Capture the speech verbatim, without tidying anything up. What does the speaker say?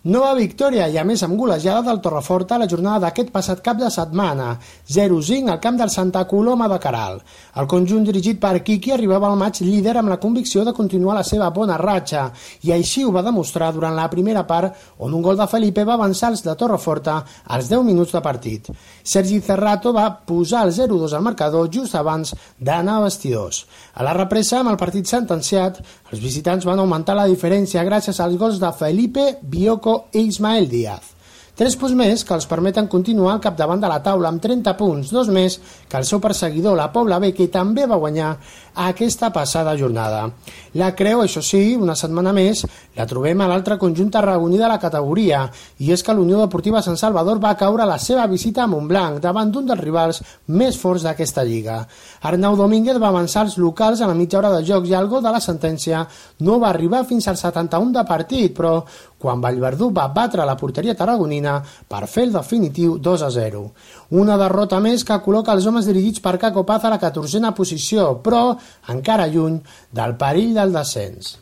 Nova victòria i a més amb golejada del Torreforta a la jornada d'aquest passat cap de setmana, zero cinc al camp del Santa Coloma de Queralt. El conjunt dirigit per Quiqui arribava al maig líder amb la convicció de continuar la seva bona ratxa i així ho va demostrar durant la primera part on un gol de Felipe va avançar els de Torreforta als deu minuts de partit. Sergi Cerrato va posar el zero dos al marcador just abans d'anar a vestidors. A la represa, amb el partit sentenciat, els visitants van augmentar la diferència gràcies als gols de Felipe, Bioko i Ismael Díaz. Tres punts més que els permeten continuar al capdavant de la taula amb trenta punts, dos més que el seu perseguidor, la Pobla B, que també va guanyar aquesta passada jornada. La creu, això sí, una setmana més, la trobem a l'altre conjunt tarragoní de la categoria, i és que l'Unió Deportiva Sant Salvador va caure a la seva visita a Montblanc, davant d'un dels rivals més forts d'aquesta lliga. Arnau Domínguez va avançar els locals a la mitja hora de joc i el gol de la sentència no va arribar fins al setanta-u de partit, però quan Vallverdú va batre la porteria tarragonina per fer el definitiu dos a zero. Una derrota més que col·loca els homes dirigits per Caco Paz a la catorzena posició, però encara lluny del perill del descens.